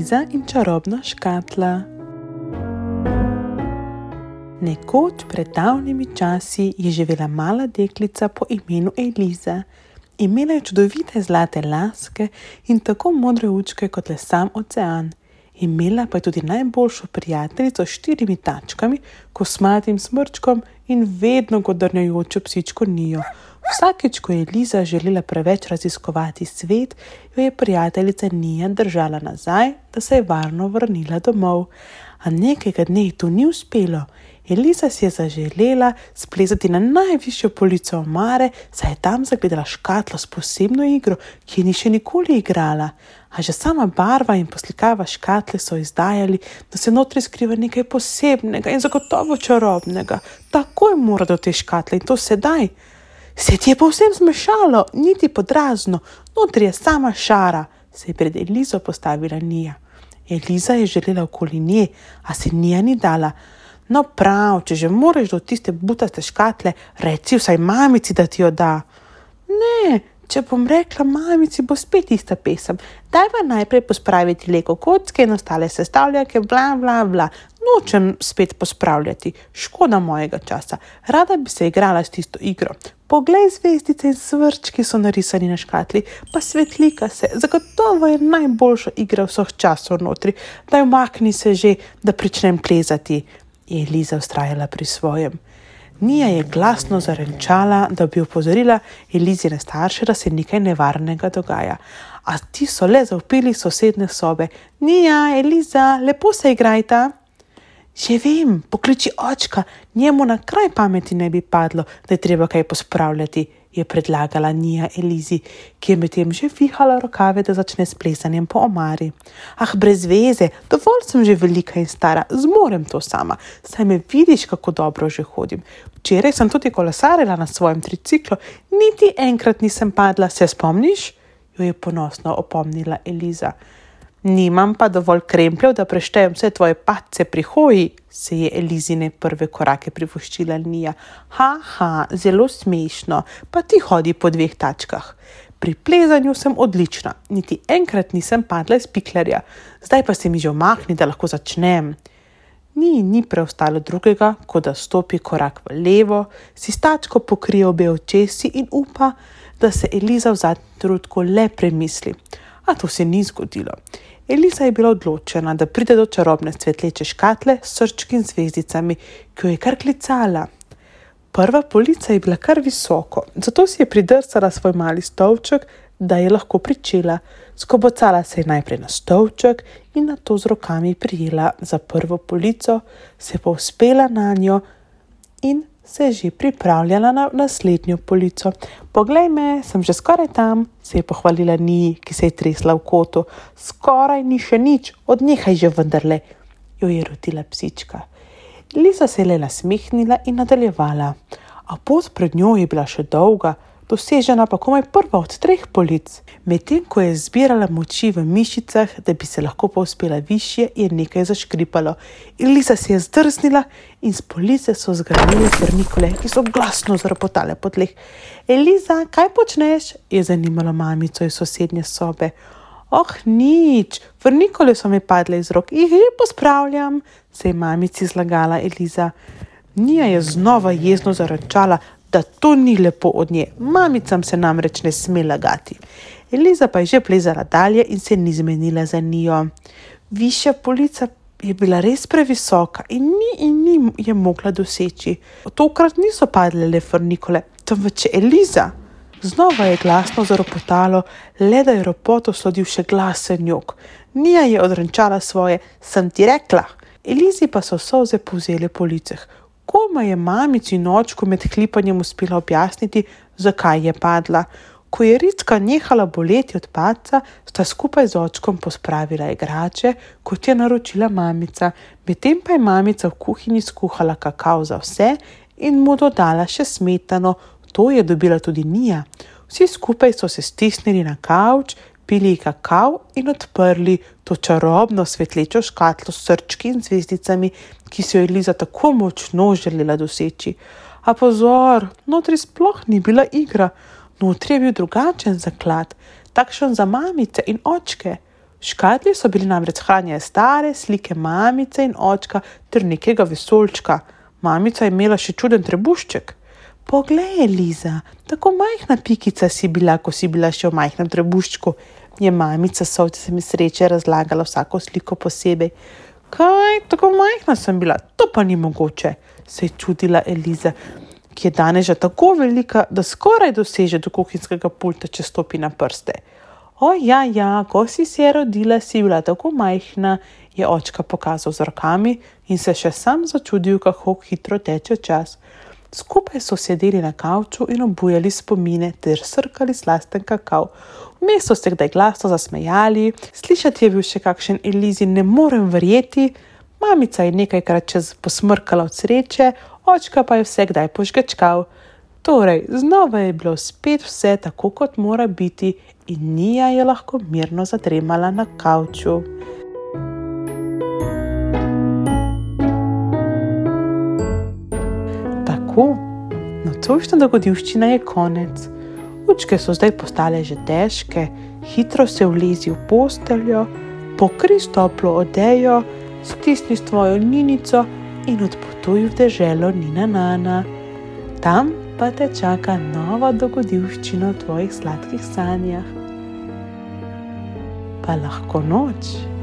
Eliza in čarobna škatla. Nekoč pred davnimi časi je živela mala deklica po imenu Eliza. Imela je čudovite zlate laske in tako modre očke kot le sam ocean. Imela pa je tudi najboljšo prijateljico s 4 tačkami, kosmatim smrčkom in vedno godrnjajočo psičko Nijo. Vsakič, ko je Eliza želela preveč raziskovati svet, jo je prijateljica Nija držala nazaj, da se je varno vrnila domov. A nekega dne ji to ni uspelo. Eliza si je zaželela splezati na najvišjo polico omare, saj je tam zagledala škatlo s posebno igro, ki je ni še nikoli igrala. A že sama barva in poslikava škatle so izdajali, da se notri skriva nekaj posebnega in zagotovo čarobnega. Takoj mora do te škatle in to sedaj. Se ti je povsem zmešalo, niti podrazno, notri je sama šara, se je pred Elizo postavila Nija. Eliza je želela okoli nje, a se Nija ni dala. No prav, če že moraš do tiste butaste škatle, reci vsaj mamici, da ti jo da. Ne, če bom rekla mamici, bo spet ista pesem. Dajva najprej pospraviti Lego kocke in ostale sestavljake, bla, bla, bla. Nočem spet pospravljati, škoda mojega časa. Rada bi se igrala s tisto igro. Poglej, zvezdice in svrčki so narisani na škatli, pa svetlika se. Zagotovo je najboljša igra vseh časov notri. Daj umakni se že, da pričnem plezati. Je Eliza vztrajala pri svojem. Nija je glasno zarenčala, da bi opozorila Elizine starše, da se nekaj nevarnega dogaja. A ti so le zavpili sosedne sobe. Nija, Eliza, lepo se igrajta. Že vem, pokliči očka, njemu na kraj pameti ne bi padlo, da je treba kaj pospravljati, je predlagala Nija Elizi, ki je medtem že vihala rokave, da začne s plesanjem po omari. Ah, brez veze, dovolj sem že velika in stara, zmorem to sama, saj me vidiš, kako dobro že hodim. Včeraj sem tudi kolesarila na svojem triciklu, niti enkrat nisem padla, se spomniš? Jo je ponosno opomnila Eliza. Nimam pa dovolj krempljev, da preštejem vse tvoje padce pri hoji, se je Elizine prve korake privoščila Nija. Zelo smešno, pa ti hodi po 2 tačkah. Pri plezanju sem odlična, niti enkrat nisem padla iz piklerja. Zdaj pa se mi že umakni, da lahko začnem. Ni preostalo drugega, kot da stopi korak v levo, si s tačko pokrije obe očesi in upa, da se Eliza v zadnjem trenutku le premisli. A to se ni zgodilo. Eliza je bila odločena, da pride do čarobne svetleče škatle s srčki in zvezdicami, ki jo je kar klicala. Prva polica je bila kar visoko, zato si je pridrsala svoj mali stolček, da je lahko pričela. Skobocala se je najprej na stolček in nato z rokami prijela za prvo polico, se povzpela na njo in se je že pripravljala na naslednjo polico. Poglej me, sem že skoraj tam, se je pohvalila Niji, ki se je tresla v kotu. Skoraj ni še nič, odnehaj že vendarle, jo je rotila psička. Eliza se je le nasmehnila in nadaljevala, a pot pred njo je bila še dolga, dosežena pa komaj prva od 3 polic. Medtem ko je zbirala moči v mišicah, da bi se lahko povzpela višje, je nekaj zaškripalo. Eliza se je zdrsnila in s police so zgrnile frnikole, ki so glasno zarpotale po tleh. Eliza, kaj počneš? Je zanimalo mamico iz sosednje sobe. Nič, frnikole so mi padle iz rok, jih že pospravljam, se je mamici zlagala Eliza. Nija je znova jezno zarenčala, da to ni lepo od nje. Mamicam se namreč ne sme lagati. Eliza pa je že plezala dalje in se ni zmenila za Nijo. Višja polica je bila res previsoka in ni je mogla doseči. Tokrat niso padle le frnikole, temveč Eliza. Znova je glasno zaropotalo, le da je ropoto sledil še glasen jok. Nija je odrenčala svoje, sem ti rekla. Elizi pa so solze povzele po liceh. Koma je mamici in očku med hlipanjem uspela objasniti, zakaj je padla. Ko je Ricka nehala boleti od padca, sta skupaj z očkom pospravila igrače, kot je naročila mamica. Medtem pa je mamica v kuhinji skuhala kakao za vse in mu dodala še smetano. To je dobila tudi Nija. Vsi skupaj so se stisnili na kavč, pili kakao in odprli to čarobno svetlečo škatlo s srčki in zvezdicami, ki si jo Eliza tako močno želela doseči. A pozor, notri sploh ni bila igra. Notri je bil drugačen zaklad, takšen za mamice in očke. V škatli so bili namreč hranjene stare slike mamice in očka ter nekega vesoljčka. Mamica je imela še čuden trebušček. Poglej, Eliza, tako majhna pikica si bila, ko si bila še v majhnem trebuščku, je mamica Solcem sreče razlagala vsako sliko posebej. Kaj, tako majhna sem bila, to pa ni mogoče, se je čudila Eliza, ki je danes že tako velika, da skoraj doseže do kuhinjskega pulta, če stopi na prste. O ja, ko si se rodila, si bila tako majhna, je očka pokazal z rokami in se še sam začudil, kako hitro teče čas. Skupaj so sedeli na kavču in obujali spomine ter srkali slasten kakav. Vmes so se kdaj glasno zasmejali, slišati je bil še kakšen Elizi ne morem verjeti, mamica je nekajkrat čez posmrkala od sreče, očka pa je vse kdaj požgečkal. Torej, znova je bilo spet vse tako, kot mora biti in Nija je lahko mirno zadremala na kavču. Tako, nocojšnja dogodivščina je konec. Učke so zdaj postale že težke, hitro se vlezi v posteljo, pokri s toplo odejo, stisni svojo Ninico in odpotuj v deželo Nina Nana. Tam pa te čaka nova dogodivščina v tvojih sladkih sanjah. Pa lahko noč.